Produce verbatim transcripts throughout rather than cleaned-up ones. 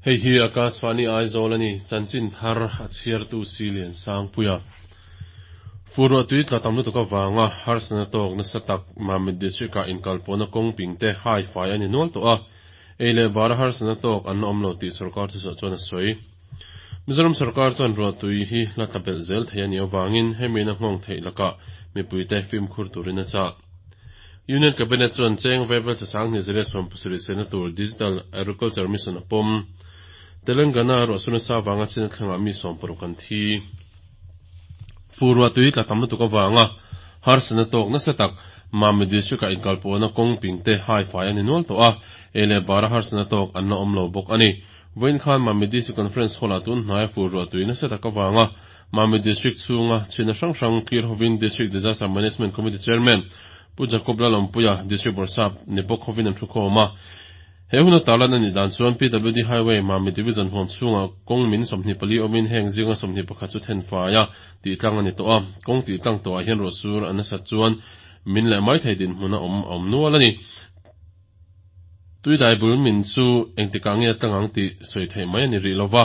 Hei hi Akashvani Aizawl a ni, chanchin thar a chhiartu si lian Sangpuia. Fur ruah tui tla tam lutuk avanga harsatna tawk nasa tak Mamit District-ah inkalpawhna kawng ping te hai fai a ni nual tawh a, ei leh bara harsatna tawk an la awm lo tih sorkar thuchhuah chuan a sawi. Mizoram sorkar chuan ruah tui hi la tla belh zel thei a nih avangin hemi in a nghawng theih lakah mipuite fimkhur turin a chah. Union Cabinet chuan cheng vaibel che sang hnih zariat sawm pasarih sehna tur Digital Agriculture Mission a pawm. Telangana ruah sur nasa avanga chin a thlengah mi sawm paruk an thi. Fur ruah tui tla tam lutuk avanga harsatna tawk nasa tak Mamit District-ah inkalpawhna kawng ping te hai fai a ni nual tawh a, ei leh bara harsatna tawk an la awm lo bawk a ni. Vawiin khan Mamit District Conference Hall-ah tun hnaia fur ruah tui nasa tak avanga Mamit District chhunga chhina hrang hrang clear hovin District Disaster Management Committee Chairman Pu Jacob Lalawmpuia, District Bawrhsap ni bawk hovin an thu khawm a. He huna tarlan a nih dan chuan P W D Highway Mamit Division huam chhungah kawng min sawmhnih pali awmin heng zinga sawmhnih pakhat chu then faia tih tlang a ni tawh a. Kawng tih tlang tawhah hian ruahsur a nasat chuan min leh mai thei dinhmun a awm a awm nual a ni. Tuidai bul min chu engtikah nge a tlang ang tih sawi theih mai a ni rih lova.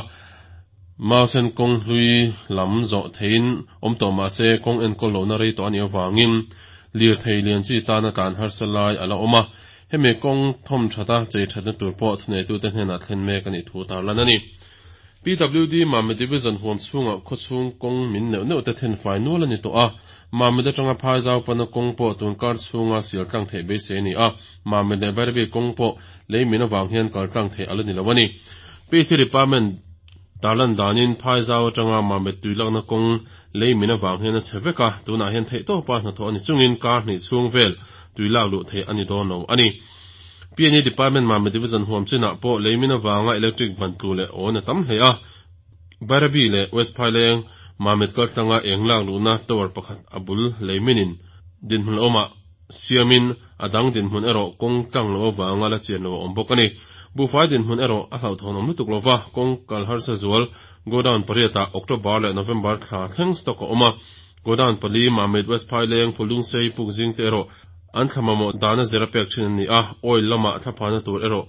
Mausen kawng hlui lam zawh theiin awm tawh mah se kawng enkawl lohna rei tawh a nih avangin lirthei lian chi tana tlan harsa lai a la awm a. Hemi kawng thawm thata chei thatna tur pawh thuneitute hnenah thlen mek a nih thu tarlan a ni. P W D Mamit Division huam chhungah khawchhung kawng min neuh neuh te then fai nual a ni tawh a. Mamit atanga phai zau pana kawng pawh tun kar chhunga sial tlang theih beisei a ni a. Mamit leh Bairabi kawng pawh lei min avang hian kal tlang theih a la ni lo a ni. P C Department tarlan danin phai zau atanga Mamit tui lakna kawng lei min avang hian a chhe vek a, tunah hian theih tawpa hnathawh a ni chungin kar hnih chhung vel tui lak luh theih a ni dawn lo a ni. P N E Department Mamit Division huam chinah pawh lei min avanga electric ban tlu leh awn a tam hle a. Bairabi leh West Phaileng Mamit kaltlanga eng lak luhna tower pakhat a bul lei minin dinhmun awmah siamin a dang dinhmun erawh kawng tlang lo avanga la chian lo a awm bawk a ni. Buhfai dinhmun erawh a hlauhthawn awm lutuk lova, kawng kal harsa zual godown pariatah October leh November thla thleng stock a awm a. Godown pali Mamit, West Phaileng, Phulungsei, Pukzing te erawh an thlamamawh dana zira pek thin a ni a, oil lamah thlaphana tur erawh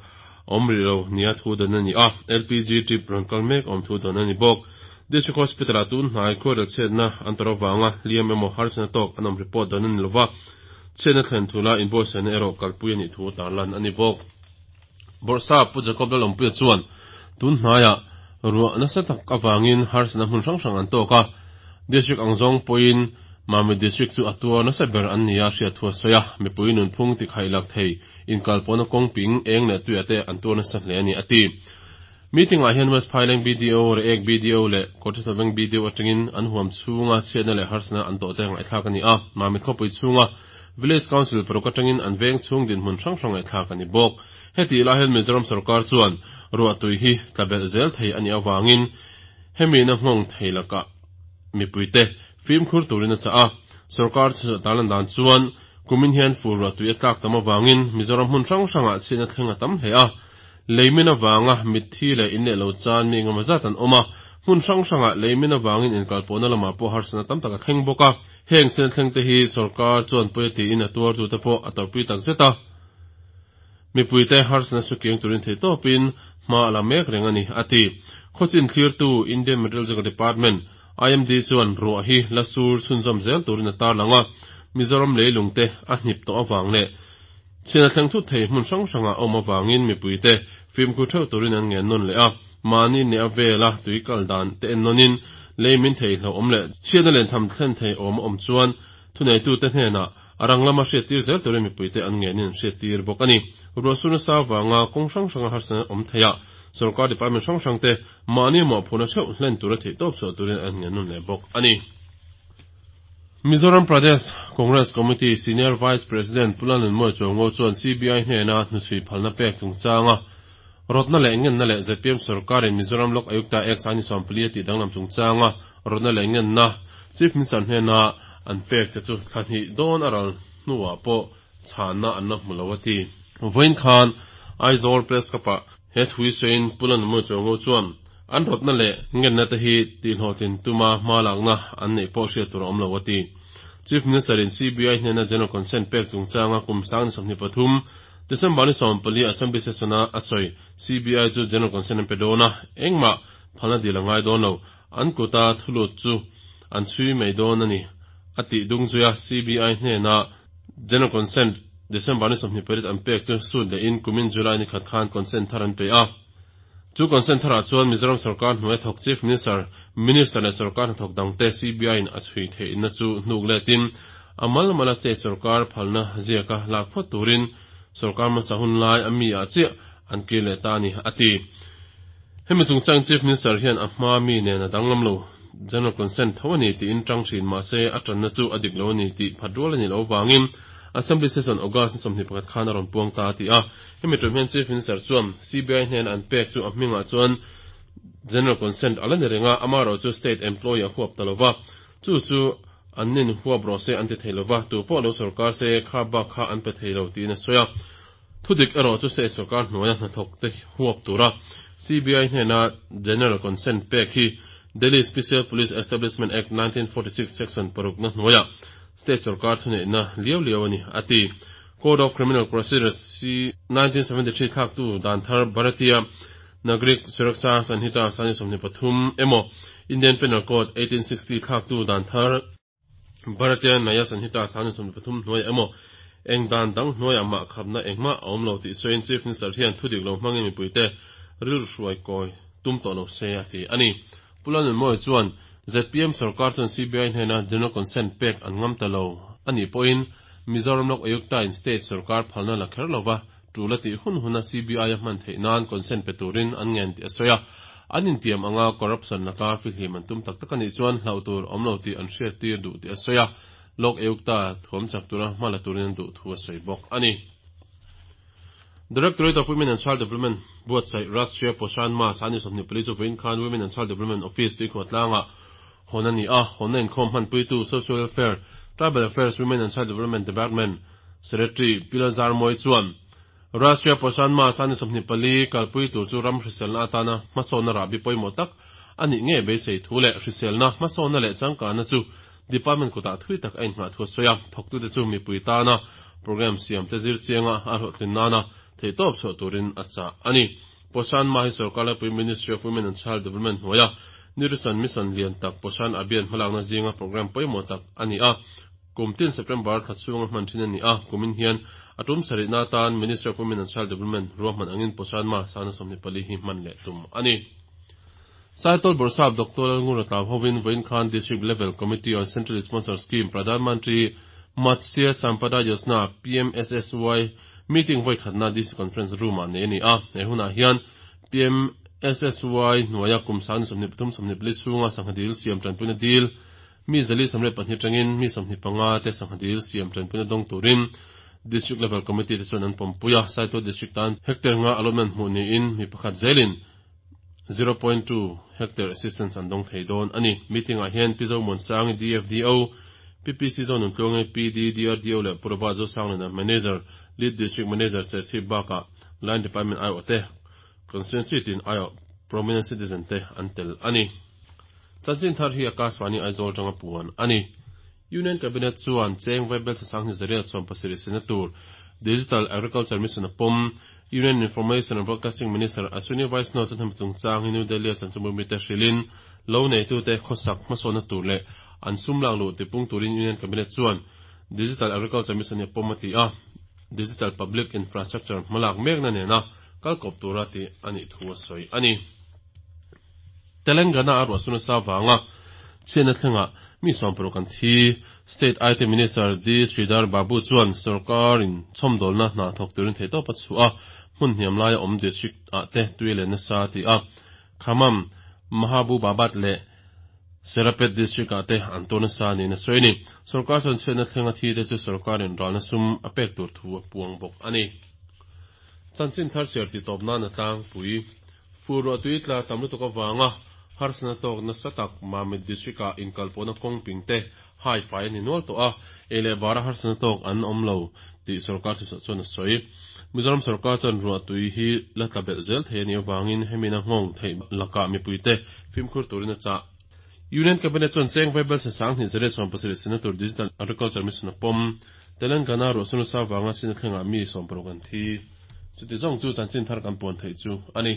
awm rih lo nia thu dan a ni a, L P G trip rawn kal mek awm thu dan a ni bawk. District Hospital-ah tun hnai khuarel chhiatna an tawrh avanga hliam emaw harsatna tawk an awm report dan a ni lova, chhiatna thlen thula inbuatsaihna erawh kalpui a nih thu tarlan a ni bawk. Bawrhsap Pu Jacob Lalawmpuia chuan tun hnaiah ruah nasa tak avangin harsatna hmun hrang hrang an tawk a, District ang zawng pawhin Mamit District chu a tuar nasa ber an ni a hriat thu a sawi a, mipui nunphung tikhaih lak thei inkalpawhna kawng ping eng leh tuiah te an tuar nasa hle a ni a ti. Meeting-ah hian West Phaileng B D O, Reiek B D O leh Kawrthithaveng B D O atangin an huam chhunga chhiatna leh harsatna an tawh te ngaihthlak a ni a, Mamit khawpui chhunga Village Council paruk atangin an veng chhung dinhmun hrang hrang ngaihthlak a ni bawk. Heti lai hian Mizoram sorkar chuan ruah tui hi tla belh zel thei a nih avangin hemi na nghawng thei lakah mipuite fimkhur turin a chah a. Sorkar tarlan dan chuan kumin hian fur ruah tui a tlak tam avangin Mizoram hmun hrang hrangah chhiatna thleng a tam hle a. Leimin avanga mitthi leh in leh lo chan mi engemaw zat an awm a, hmun hrang hrangah leimin avangin inkalpawhna lamah pawh harsatna tam tak a thleng bawk a. Heng chhiatna thleng te hi sorkar chuan pawi a tiin a tuartute pawh a tawrhpui tak zet a. Mipuite harsatna chu kiang turin thei tawpin hma a la mek reng a ni a ti. Khawchin thlirtu Indian Meteorological Department I M D chuan ruah hi la sur chhunzawm zel turin a tarlang a, Mizoram leilung te a hnip tawh awang leh chhiatna thleng thut thei hmun hrang hrangah awm awangin mipuite fimkhur theuh turin an ngen nawn leh a, mahni ne a vela tui kal dan te en nawnin leimin thei hlo awm leh chhiatna len tham thlen thei awm a awm chuan thuneitute hnenah a rang lama hriattir zel turin mipuite an ngenin hriattir bawk a ni. Ruah sur nasa awanga kawng hrang hranga harsatna awm theiah sorkar department hrang hrang te mahni mawhphurhna theuh hlen tura theih tawp chhuah turin an ngen nawn leh bawk a ni. Mizoram Pradesh Congress Committee Senior Vice President Pu Lalnunmawi Chuaungo chuan C B I hnena hnuchhui phalna pek chungchanga rawtna leh ngenna leh Z P M sorkarin Mizoram Lok Ayukta Act sangni sawmpali a tih danglam chungchanga rawtna leh ngenna Chief Minister hnena an pek te chu thla hnih dawn a ral hnuah pawh chhanna an la hmu lo a ti. Vawiin khan Aizawl Press Club-ah he thui sawiin Pu Lalnunmawi Chuaungo chuan an rawtna leh ngenna te hi tihhlawhtlin tuma hma lakna an neih pawh hriat tur a awm lo a ti. Chief Minister in C B I hnena general consent pek chungchanga kum sangni sawmhnih pathum December ni sawm pali Assembly session a a sawi C B I chu general consent an pe dawn a, engmah phalna dil a ngai dawn lo, an kuta thulut chu an chhui mai dawn a ni a tih dung zui a. C B I hnena general consent December ni sawmhnih pariat an pek chu sut lehin kumin July ni khat khan consent thar an pe a. Chu consent tharah chuan Mizoram sarkar hnuai thawk Chief Minister, Minister leh sarkar hnathawk dangte C B I in a chhui theihna chu hnuk letin amal mala state sarkar phalna ziaka lak phawt turin sarkar hmasa hun lai ami ah chiah an kir leh ta a ni a ti. Hemi chungchang Chief Minister hian a hma mi nen a danglam lo, general consent tho a ni tiin tang thin mahse a tanna chu a dik lo a ni tih phat rual a ni lo wangin Assembly session August ni sawmhnih pakhat khan a rawn puang ta a ti a. Hemi tum hian Chief Minister chuan C B I hnen an pek chu a hmingah chuan general consent ala ni renga, amarawh chu state employee a huap ta lova, chu chu an nin huap rawh se an ti thei lova, tu pawh lo sarkar se kha bak kha an pe thei lo tiin a sawi a. Thudik erawh chu state sarkar hnuaia hnathawk te huap tura C B I hnena general consent pek hi Delhi Special Police Establishment Act nineteen forty-six section paruk na hnuaia state sarkar thuneihna liau liau a ni a ti. Code of Criminal Procedure C nineteen seventy-three thlak tu dan thar Bharatiya Nagrik Suraksha Sanhita sani sawmhnih pathum emaw Indian Penal Code eighteen sixty thlak tu dan thar Bharatiya Nyaya Sanhita sani sawmhnih pathum hnuai emaw eng dan dang hnuai amah khapna engmah a awm lo tih sawiin Chief Minister hian thudik lo hmangin mipuite ril hruai kawi tum tawh lo se a ti a ni. Pu Lalnunmawi chuan Z P M sarkar chuan C B I hnena general consent pek an ngam ta lo ani pawhin Mizoram Lok Ayukta in state sarkar phalna la kher lova tul a tih hun huna C B I a hman theih nan consent pe turin an ngen tih a sawi a. An intiam anga corruption laka fihlim an tum tak tak ani chuan hlauh tur awm lo tih an hriat tir duh tih a sawi a. Lok Ayukta thuam chak tura hma la turin an duh thu a sawi bawk ani. Directorate of Women and Child Development buatsaih Rashtriya Poshan Maah sani sawmhnih pali chu vawiin khan Women and Child Development Office Tuikhuatlanga hawn a ni a. Hawnna inkhawm hmanpuitu Social Welfare, Tribal Affairs, Women and Child Development Department Secretary Pi Lalzarmawi chuan Rashtriya Poshan Maah sani sawmhnih pali kalpui tur chu ram hriselna atana hmasawnna rahbi pawimawh tak ani nge beisei thu leh hriselna hmasawnna leh changkanna chu department kutah thui tak a inngah thu a sawi a. Thawktute chu mipui tana program siam te zir chianga a hlawhtlin nana theihtawp chhuah turin a chah ani. Poshan Maah hi sarkar laipui Ministry of Women and Child Development hnuaia Nutrition Mission lian tak Poshan Abhiyan hmalakna zinga program pawimawh tak ani a. Kum tin September thla chhunga hman thin ani a. Kumin hian a tum sarihna atan Ministry of Women and Child Development ruahman angin Poshan Maah sana sawmhnih pali hi hman leh tum ani. Saitual Bawrhsap Doctor Lalngura Tlau hovin vawiin khan District Level Committee on Central Sponsor Scheme Pradhan Mantri Matsya Sampada Yojana P M S S Y meeting voi khatna D C Conference Room ah nei ani a. He hunah hian P M S S Y hnuaia kum sani sawmhnih pathum sawmhnih pali chhunga sangha dil siam tanpuina dil mi zali sawmriat pahnih atangin mi sawmhnih panga te sangha dil siam tanpuina dawng turin District Level Committee te chuan an pawmpui a. Saitual District tan hectare nga allotment hmuh niin mi pakhat zelin zero point two hectare assistance an dawng thei dawn ani. Meeting ah hian Pi Zomuansangi D F D O, P P C Zonun Tluangi P D D R D O leh Puraba Zosanglina Manager, Lead District Manager Serchhip bakah Line Department aiawh te, constituency tin aiawh prominent citizen te an tel ani. Chanchin thar hi Akashvani Aizawl tanga puan ani. Union Cabinet chuan cheng vaibel sanghnih zariat sawm pasarih sena tur Digital Agriculture Mission a pawm. Union Information and Broadcasting Minister Ashwini Vaishnaw chuan hemi chungchang hi New Delhi a chanchinbu mite hrilhin lo neitu te khawsak hmasawnna tur leh an sum lak luh tipung turin Union Cabinet chuan Digital Agriculture Mission hi a pawm a ti a. Digital Public Infrastructure hmalak mekna nena kalkawp tura ti ani thu a sawi ani. Telangana a ruahsuna sa wanga chhiatna thlenga mi sawm paruk an thi. State I T Minister D Sridhar Babu chuan sarkarin chhawmdawlna hna thawk turin theihtawp a chhuah a, hmun hniam laia awm district ah te tui leh nasa ti a. Khammam, Mahabubabad leh Suryapet district ah te an tur nasa niin a sawi ni. Sarkar chuan chhiatna thlenga thi te chu sarkarin ralna sum a pek tur thu a puang bawk ani. Chanchin thar chhiar ti tawp nan a tlangpui fur ruah tui tla tam lutuk awanga harsana tawk nasa tak Mamit district ah inkalpawhna kawng ping te hai fai ani nual tawh a, ei leh bara harsana tawk an awm lo tih sarkar chu chuan a sawi. Mizoram sarkar chuan ruah tui hi la tla belh zel thei ani awangin hemina nghawng theih lakah mipui te fimkhur turin a chah. Union Cabinet chuan cheng vaibel se sanghnih zariat sawm pasarih sena tur Digital Agriculture Mission a pawm. Telangana ruahsur nasa vanga chhiatna thlengah mi sawmparuk an thi. Chuti zawng chu chanchin thar kan puan theih chu a ni.